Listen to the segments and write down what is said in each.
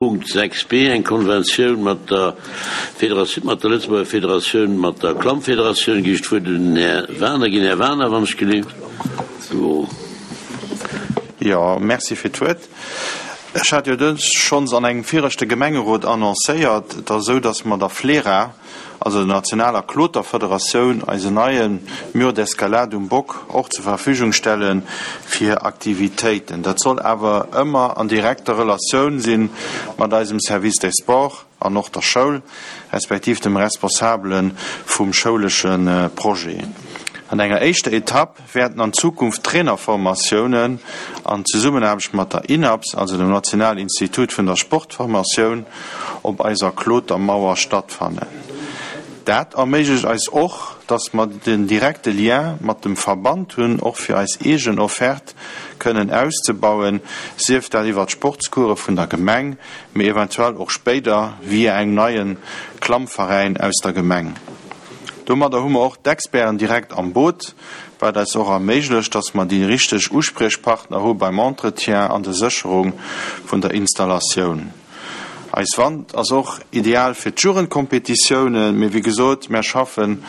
Punkt 6 b, eng Konventioun mat der Federatioun, mat der Lëtzebuerger Federatioun, mat der Klammfederatioun. Ginn ech d'Wuert un den Här Werner ginn. Här Werner, wann ech gelift. Jo, merci fir d'Wuert. Ech hat jo dës schonns an engem viregte Gemengerot annoncéiert. Et ass esou, datt mer der FLERA, also der nationaler Kloterfederatioun, eisen neie Mur d'escalade um Bock och zur Verfügung stelle fir Aktivitéiten. Dat soll awer ëmmer an direkter Relatioun si mat eisem Service des Sports an och der Schoul, respektiv dem Responsabele vum schoulesche Projet. An enger éischter Etapp wäerten an Zukunft Trainerformatiounen an Zesummenaarbecht mat der INAPS, also dem Nationalen Institut vun der Sportformatioun, op eiser Klotermauer stattfannen. Dat erméiglecht eis och, dass mer den direkte Lien mat dem Verband hunn, och fir eis eegen Offerte kënnen auszebauen, sief dat iwwert d'Sportscourse vun der Gemeng, mee eventuell och spéider via engem neie Klammveräin aus der Gemeng. Domadder hu mer och d'Experten direkt am Boot, wat eis och erméiglecht, dass mer déi richteg Uspriechpartner hu beim Entretien an der Sécherung vun der Installatioun. Eis Wand ass och ideal fir d'Jugendkompetitiounen, mee wéi gesot, mär schaffen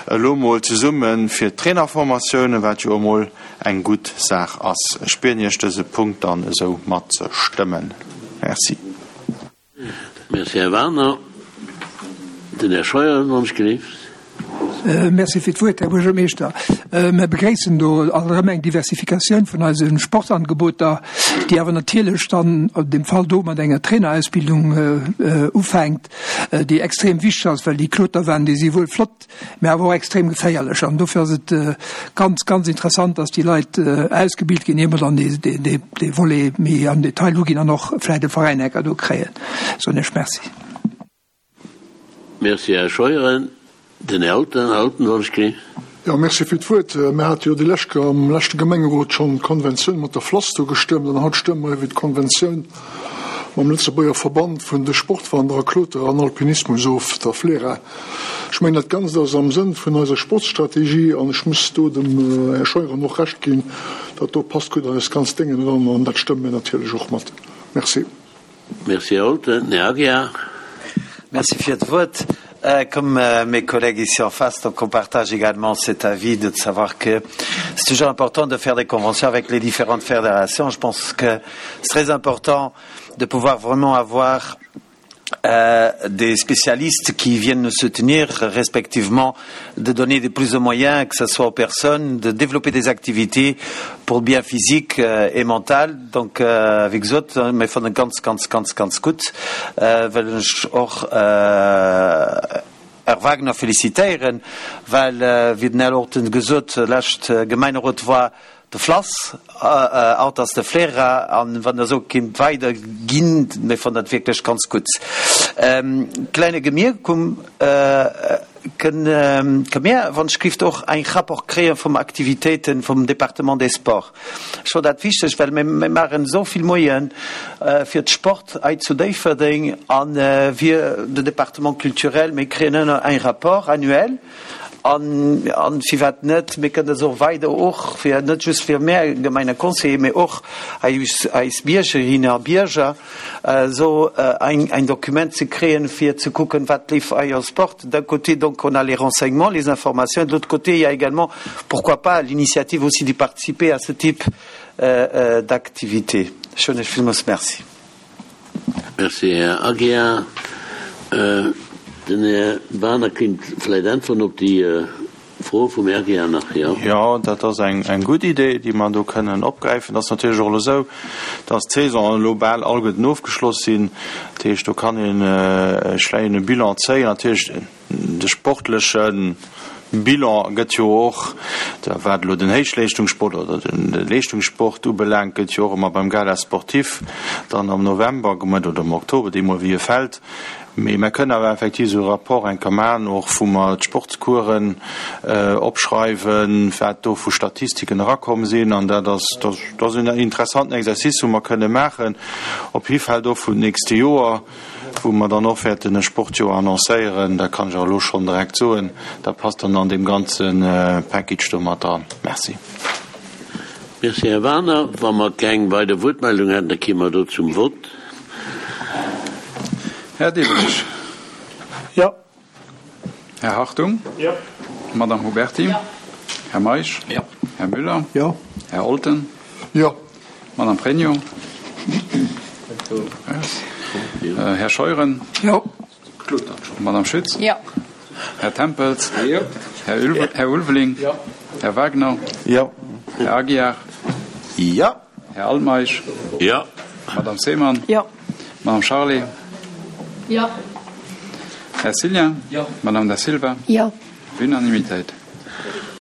elo mol zesumme fir d'Trainerformatiounen, wat jo emol eng gutt Saach ass. Ech bieden Iech dëse Punkt dann esou matzestëmmen. Merci. Merci, Här Werner. Den Här Scheuer, wann ech gelift. Merci fir d'Wuert, Här Buergermeeschter. Mir begréissen do alt erëm eng Diversifikatioun vun eise Sportangeboter, déi awer natierlech dann an deem Fall do mat enger Trainerausbildung ufänkt, déi extrem wichteg ass, well déi Kloterwänn, déi si wuel flott, mä awer och extrem geféierlech. An dofir ass et ganz, ganz interessant, dass déi Leit ausgebilt ginn, ier mer dann dee Volet méi am Detail uginn an och vläicht e Veräin enker do kréien. Soen ech Merci. Merci, Här Scheuren. Den Här Alten, Här Alten, wann ech kritt. Jo, merci fir d'Wuert. Mir hate jo déi lescht Kéier am leschte Gemengerot schonn d'Konventioun mat der Flasto gestëmmt an haut stëmme mer iwwert d'Konventioun mam Lëtzebuerger Verband vun de Sportwanderer, Kloterer an Alpinismus of, der FLERA. Ech mengen, dat Ganzt ass am Sënn vun eiser Sportstrategie an ech muss do dem Här Scheuren och Recht ginn, dat do passt gutt an eist ganzt Déngen eran an dat stëmme mir natierlech och mat. Merci. Merci, Här Olten. Här Aguiar. Merci fir d'Wuert. Comme mes collègues ici en face, donc on partage également cet avis de savoir que c'est toujours important de faire des conventions avec les différentes fédérations. Je pense que c'est très important de pouvoir vraiment avoir euh, des spécialistes qui viennent nous soutenir respectivement de donner des plus de moyens que ce soit aux personnes de développer des activités pour le bien physique euh, et mental donc euh, wéi gesot mir fannen ganz ganz ganz ganz gutt äh, well ech och äh, Här Wagner félicitéieren, well äh, wéi den Här Orten gesot lescht äh, Gemeinderot war de Flass, haut ass de Flera an wann der esou kinnt weider ginn, mir fannen dat wierklech ganz gutt. Kleine Gemierkung, Kënne mir wann ech gift och eng Rapport kréie vum Aktivitéiten vum Département des Sports? Ech fannen dat wichteg, well mir maachen esou vill Moyen fir d'Sport hei zu Déifferdeng an wir de Département culturel, mir kréien ënner eng Rapport annuel An, an firwat net, mir kënnen se och weider och fir, net just fir mär Gemeindeconseiller, mee och eis, eis Biergerinnen a Bierger, esou eng, eng Dokument ze kréien, fir ze kucken, wat leeft hei am Sport. D'un côté, donc, on a les renseignements, les informations, de l'autre côté, il y a également, pourquoi pas, l'initiative aussi de participer à ce type d'activité. Ech soen Iech villmools Merci. Merci, Här Aguiar. Den Här Wagener kéint vläicht äntweren op déi Fro vum Här Aguiar nach, jo? Jo, dat ass eng gutt Idee, déi mer do kënnen opgräifen. Et ass natierlech och elo esou, dass d'Saisonen elo bal alleguerten ofgeschloss sinn. Dat heescht, do kann een e schleien Bilan zéien. Natierlech, De sportleche Bilan gëtt jo och, wat elo den Héichleeschtungssport oder de Leeschtungssport ubelaangt, gëtt jo och ëmmer beim Gala sportif dann am November gemaach oder am Oktober, deemol wéi e fält. Mee mer kënnen awer effektiv esou e Rapport eng Kéier maachen, och wou mer d'Sportscoursen opschreiwen, wat do vu Statistiken erakomm sinn. An dat ass, dat ass en interessanten Exercice, wou mer kënne maachen, op jidde Fall och vun d'nächste Joer. wou mer dann och wäerten e Sportjoer annoncéieren, dat kann ech och elo schonn direkt soen, dat passt dann an deem ganze Package do mat dran. Merci. Merci, Här Wagener. Wa mer keng weider Wuertmeldung hätten, da kéime mer do zum Vott. Här Diderich. Jo. Här Hartung. Jo. Madame Huberty. Jo. Här Meisch. Jo. Här Müller. Jo. Här Olten. Jo. Madame Pregno. Här Scheuren. Jo. Madame Schütz. Jo. Här Tempels. Jo. Här, Ulve, Här Ulveling. Jo. Här Wagner. Jo. Här Aguiar. Jo. Här Altmeisch. Jo. Madame Seemann. Jo. Madame Charlé. Jo. Här Cillien. Jo. Madame Da Silva. Jo. Unanimitéit.